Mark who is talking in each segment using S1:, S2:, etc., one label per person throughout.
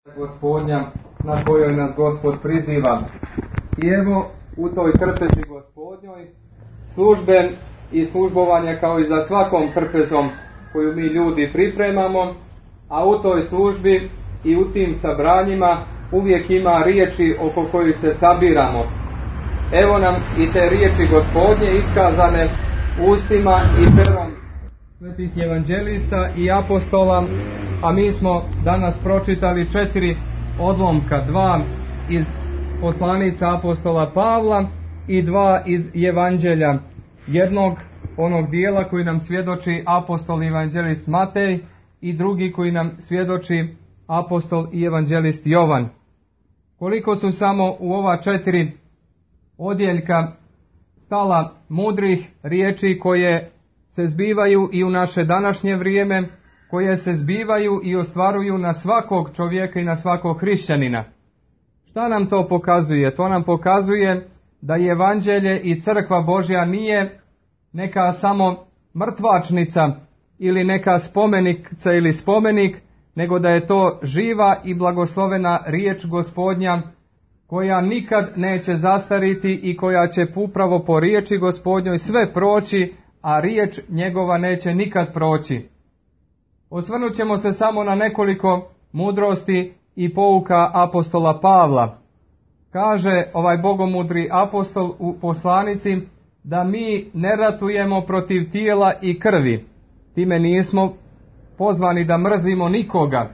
S1: Gospodnja na kojoj nas Gospod priziva. I evo u toj trpezi Gospodnjoj službe i službovanja kao i za svakom trpezom koju mi ljudi pripremamo, a u toj službi i u tim sabranjima uvijek ima riječi oko kojih se sabiramo. Evo nam i te riječi Gospodnje iskazane ustima i perom svetih evanđelista i apostola, a mi smo danas pročitali 4 odlomka, 2 iz poslanica apostola Pavla i 2 iz evanđelja. Jednog onog dijela koji nam svjedoči apostol i evanđelist Matej i drugi koji nam svjedoči apostol i evanđelist Jovan. Koliko su samo u ova 4 odjeljka stala mudrih riječi koje se zbivaju i u naše današnje vrijeme, koje se zbivaju i ostvaruju na svakog čovjeka i na svakog hrišćanina. Šta nam to pokazuje? To nam pokazuje da je evanđelje i crkva Božja nije neka samo mrtvačnica ili neka spomenica ili spomenik, nego da je to živa i blagoslovena riječ Gospodnja koja nikad neće zastariti i koja će upravo po riječi Gospodnjoj sve proći, a riječ njegova neće nikad proći. Osvrnut ćemo se samo na nekoliko mudrosti i pouka apostola Pavla. Kaže ovaj bogomudri apostol u poslanici da mi ne ratujemo protiv tijela i krvi. Time nismo pozvani da mrzimo nikoga,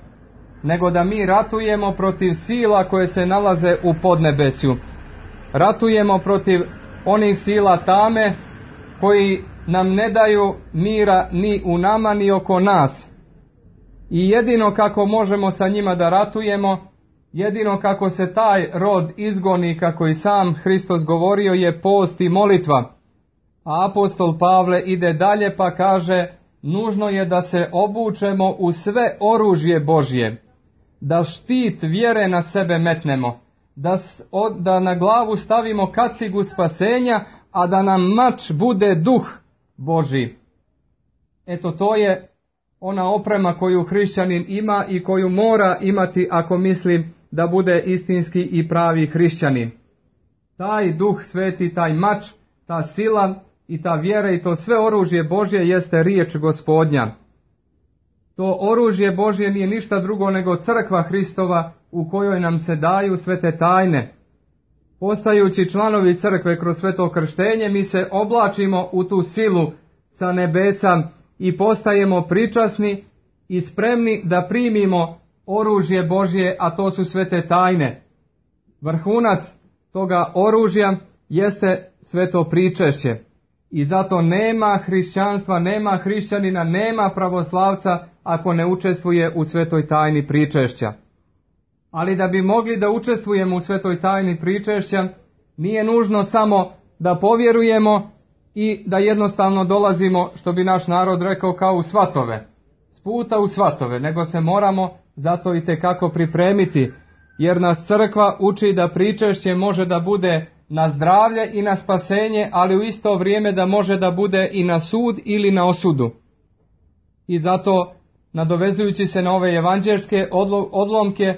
S1: nego da mi ratujemo protiv sila koje se nalaze u podnebesju. Ratujemo protiv onih sila tame koji nam ne daju mira ni u nama ni oko nas. I jedino kako možemo sa njima da ratujemo, jedino kako se taj rod izgoni, kako i sam Hristos govorio, je post i molitva. A apostol Pavle ide dalje pa kaže, nužno je da se obučemo u sve oružje Božje, da štit vjere na sebe metnemo, da na glavu stavimo kacigu spasenja, a da nam mač bude duh Božji. Eto, to je ona oprema koju hrišćanin ima i koju mora imati ako misli da bude istinski i pravi hrišćanin. Taj duh sveti, taj mač, ta sila i ta vjera i to sve oružje Božje jeste riječ Gospodnja. To oružje Božje nije ništa drugo nego crkva Hristova u kojoj nam se daju sve te tajne. Postajući članovi crkve kroz sveto krštenje, mi se oblačimo u tu silu sa nebesa i postajemo pričasni i spremni da primimo oružje Božje, a to su sve te tajne. Vrhunac toga oružja jeste sveto pričešće. I zato nema hrišćanstva, nema hrišćanina, nema pravoslavca ako ne učestvuje u svetoj tajni pričešća. Ali da bi mogli da učestvujemo u svetoj tajni pričešća, nije nužno samo da povjerujemo i da jednostavno dolazimo, što bi naš narod rekao, kao u svatove, s puta u svatove, nego se moramo zato i tekako pripremiti, jer nas crkva uči da pričešće može da bude na zdravlje i na spasenje, ali u isto vrijeme da može da bude i na sud ili na osudu. I zato, nadovezujući se na ove evanđelske odlomke,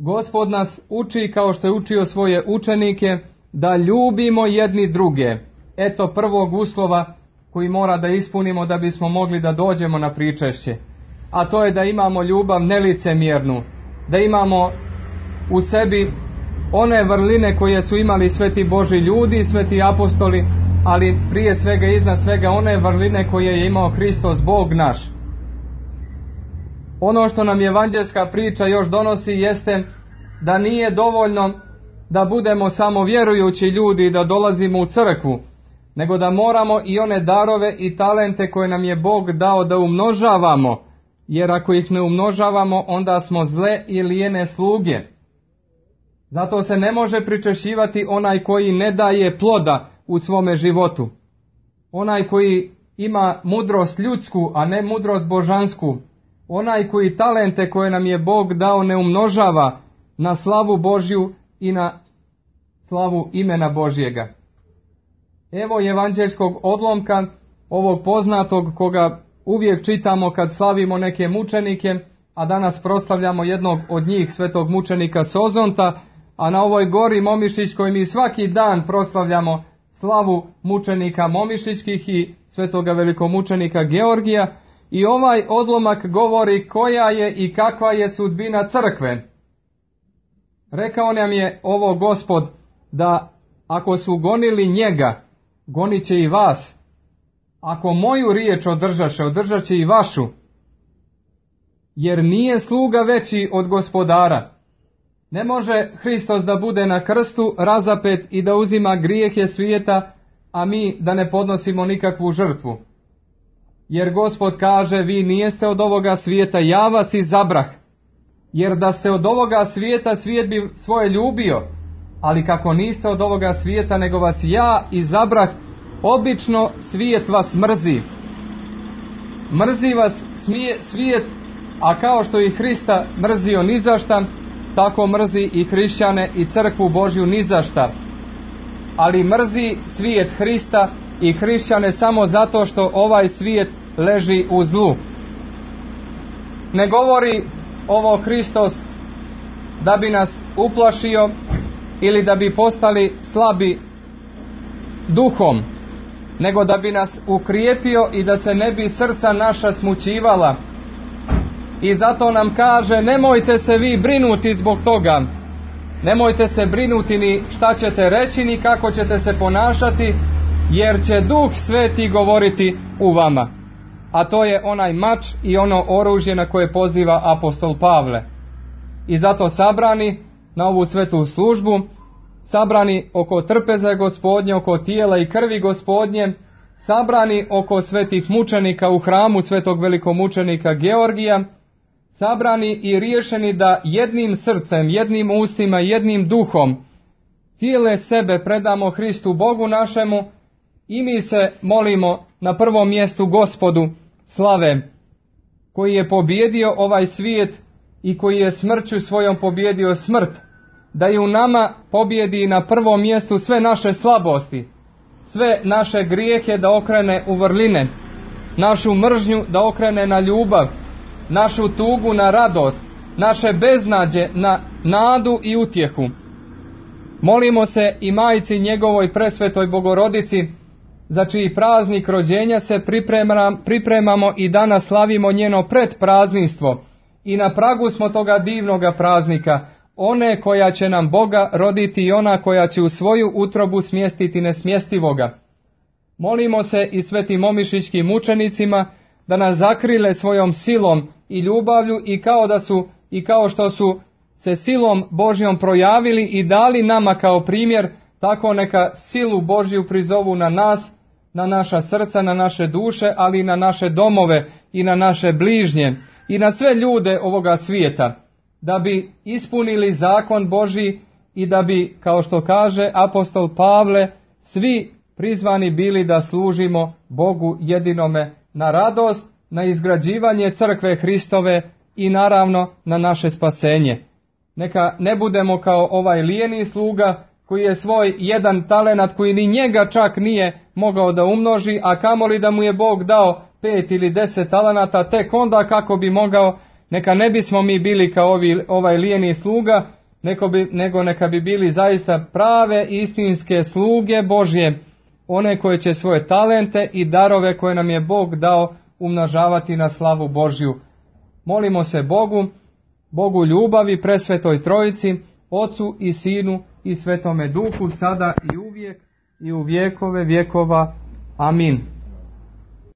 S1: Gospod nas uči, kao što je učio svoje učenike, da ljubimo jedni druge. Eto prvog uslova koji mora da ispunimo da bismo mogli da dođemo na pričešće. A to je da imamo ljubav nelicemjernu, da imamo u sebi one vrline koje su imali sveti Božji ljudi, sveti apostoli, ali prije svega i iznad svega one vrline koje je imao Hristos, Bog naš. Ono što nam evanđelska priča još donosi jeste da nije dovoljno da budemo samo vjerujući ljudi i da dolazimo u crkvu, nego da moramo i one darove i talente koje nam je Bog dao da umnožavamo, jer ako ih ne umnožavamo onda smo zle i lijene sluge. Zato se ne može pričešćivati onaj koji ne daje ploda u svome životu. Onaj koji ima mudrost ljudsku, a ne mudrost božansku. Onaj koji talente koje nam je Bog dao ne umnožava na slavu Božju i na slavu imena Božjega. Evo evanđelskog odlomka, ovog poznatog koga uvijek čitamo kad slavimo neke mučenike a danas proslavljamo jednog od njih, svetog mučenika Sozonta, a na ovoj gori Momišićkoj mi svaki dan proslavljamo slavu mučenika Momišićkih i svetoga velikomučenika Georgija. I ovaj odlomak govori koja je i kakva je sudbina crkve. Rekao nam je ovo Gospod, da ako su gonili njega, gonit će i vas. Ako moju riječ održaše, održat će i vašu. Jer nije sluga veći od gospodara. Ne može Hristos da bude na krstu razapet i da uzima grijehe svijeta, a mi da ne podnosimo nikakvu žrtvu. Jer Gospod kaže, vi nijeste od ovoga svijeta, ja vas izabrah. Jer da ste od ovoga svijeta, svijet bi svoje ljubio. Ali kako niste od ovoga svijeta, nego vas ja izabrah, obično svijet vas mrzi. Mrzi vas svijet, a kao što i Hrista mrzio nizašta, tako mrzi i hrišćane i crkvu Božju nizašta. Ali mrzi svijet Hrista i hrišćane samo zato što ovaj svijet leži u zlu. Ne govori ovo Hristos da bi nas uplašio ili da bi postali slabi duhom, nego da bi nas ukrijepio i da se ne bi srca naša smućivala. I zato nam kaže, nemojte se vi brinuti zbog toga. Nemojte se brinuti ni šta ćete reći, ni kako ćete se ponašati, jer će Duh Sveti govoriti u vama. A to je onaj mač i ono oružje na koje poziva apostol Pavle. I zato sabrani na ovu svetu službu, sabrani oko trpeza Gospodnje, oko tijela i krvi Gospodnje, sabrani oko svetih mučenika u hramu svetog velikomučenika Georgija, sabrani i riješeni da jednim srcem, jednim ustima, jednim duhom cijele sebe predamo Hristu Bogu našemu i mi se molimo na prvom mjestu Gospodu slave, koji je pobjedio ovaj svijet i koji je smrću svojom pobjedio smrt, da i u nama pobjedi na prvom mjestu sve naše slabosti, sve naše grijehe da okrene u vrline, našu mržnju da okrene na ljubav, našu tugu na radost, naše beznađe na nadu i utjehu. Molimo se i Majci njegovoj presvetoj Bogorodici, za čiji praznik rođenja se pripremamo i danas slavimo njeno predprazništvo. I na pragu smo toga divnoga praznika, one koja će nam Boga roditi i ona koja će u svoju utrobu smjestiti nesmjestivoga. Molimo se i svetim momišićkim mučenicima da nas zakrile svojom silom i ljubavlju i kao što su se silom Božjom projavili i dali nama kao primjer, tako neka silu Božju prizovu na nas, na naša srca, na naše duše, ali i na naše domove i na naše bližnje i na sve ljude ovoga svijeta, da bi ispunili zakon Božji i da bi, kao što kaže apostol Pavle, svi prizvani bili da služimo Bogu jedinome na radost, na izgrađivanje crkve Hristove i naravno na naše spasenje. Neka ne budemo kao ovaj lijeni sluga koji je svoj jedan talenat koji ni njega čak nije mogao da umnoži, a kamoli da mu je Bog dao 5 ili 10 talenata, tek onda kako bi mogao. Neka ne bismo mi bili kao ovaj lijeni sluga, nego neka bi bili zaista prave istinske sluge Božje, one koje će svoje talente i darove koje nam je Bog dao umnožavati na slavu Božju. Molimo se Bogu ljubavi, presvetoj Trojici, Ocu i Sinu i Svetome Duhu, sada i uvijek i u vjekove vjekova. Amin.